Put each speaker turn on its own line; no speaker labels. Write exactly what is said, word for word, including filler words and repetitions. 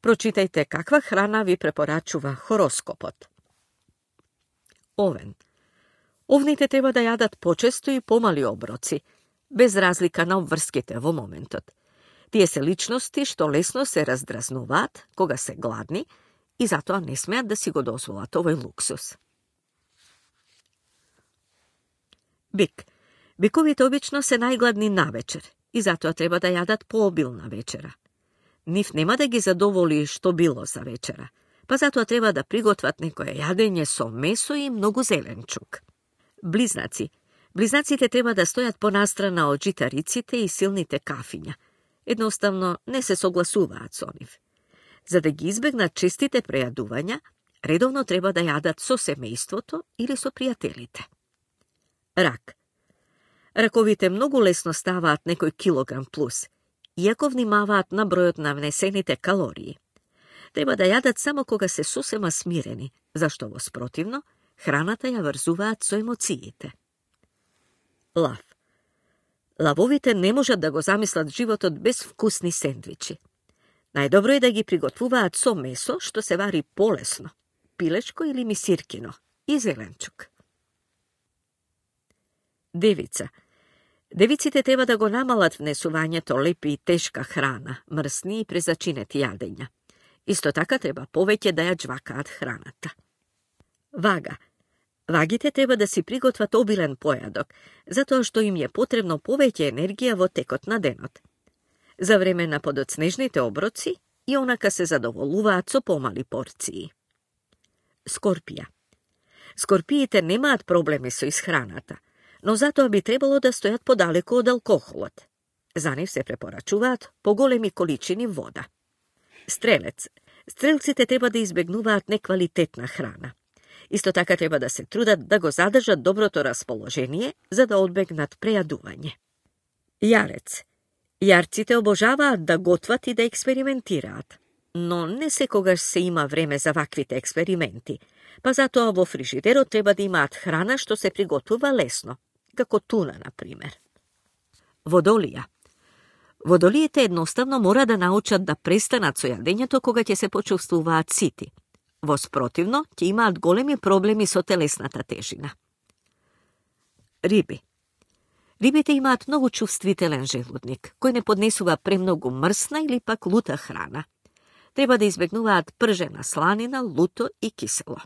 Прочитајте каква храна ви препорачува хороскопот. Овен. Овните треба да јадат почесто и помали оброци, без разлика на обврските во моментот. Тие се личности што лесно се раздразнуваат кога се гладни и затоа не смеат да си го дозволат овој луксус. Бик. Биковите обично се најгладни навечер и затоа треба да јадат пообилна вечера. Нив нема да ги задоволи што било за вечера, па затоа треба да приготват некое јадење со месо и многу зеленчук. Близнаци. Близнаците треба да стојат понастрана од житариците и силните кафиња. Едноставно не се согласуваат со нив. За да ги избегнат честите прејадувања, редовно треба да јадат со семејството или со пријателите. Рак. Раковите многу лесно ставаат некој килограм плюс, иако внимаваат на бројот на внесените калории. Треба да јадат само кога се сосема смирени, зашто во спротивно, храната ја врзуваат со емоциите. Лав. Лавовите не можат да го замислат животот без вкусни сендвичи. Најдобро е да ги приготвуваат со месо, што се вари полесно, пилешко или мисиркино, и зеленчук. Девица. Девиците треба да го намалат внесувањето лепи и тешка храна, мрсни и презачинети јадења. Исто така треба повеќе да ја џвакаат храната. Вага. Вагите треба да си приготват обилен појадок, затоа што им е потребно повеќе енергија во текот на денот. За време на подоцнежните оброци и онака се задоволуваат со помали порции. Скорпија. Скорпиите немаат проблеми со исхраната, но затоа би требало да стојат подалеку од алкохолот. За нив се препорачуваат поголеми количини вода. Стрелец. Стрелците треба да избегнуваат неквалитетна храна. Исто така треба да се трудат да го задржат доброто расположение, за да одбегнат прејадување. Јарец. Јарците обожаваат да готват и да експериментираат, но не секогаш се има време за ваквите експерименти, па затоа во фрижидерот треба да имаат храна што се приготвува лесно, како туна, на пример. Водолија. Водолиите едноставно мора да научат да престанат со јадењето кога ќе се почувствуваат сити. Во спротивно, ќе имаат големи проблеми со телесната тежина. Риби. Рибите имаат многу чувствителен желудник, кој не поднесува премногу мрсна или пак лута храна. Треба да избегнуваат пржена сланина, луто и кисело.